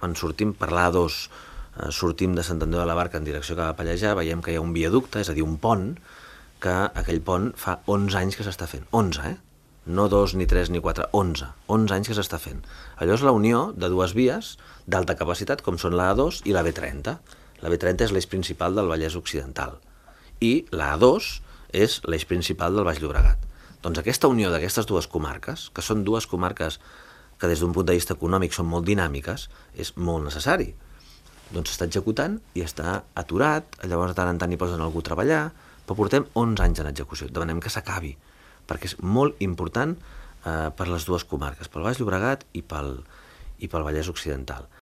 quan sortim per l'A2, sortim de Sant Andreu de la Barca en direcció cap a Pallejà, veiem que hi ha un viaducte, és a dir, un pont, que aquell pont fa 11 anys que s'està fent. 11, No 2, ni 3, ni 4, 11. 11 anys que s'està fent. Allò és la unió de dues vies d'alta capacitat, com són la A2 i la B30. La B30 és l'eix principal del Vallès Occidental. I la A2 és l'eix principal del Baix Llobregat. Doncs aquesta unió d'aquestes dues comarques, que són dues comarques que des d'un punt de vista econòmic són molt dinàmiques, és molt necessari. Doncs s'està executant i està aturat, llavors de tant en tant hi posen algú a treballar, però portem 11 anys en execució. Demanem que s'acabi, perquè és molt important per les dues comarques, pel Baix Llobregat i pel Vallès Occidental.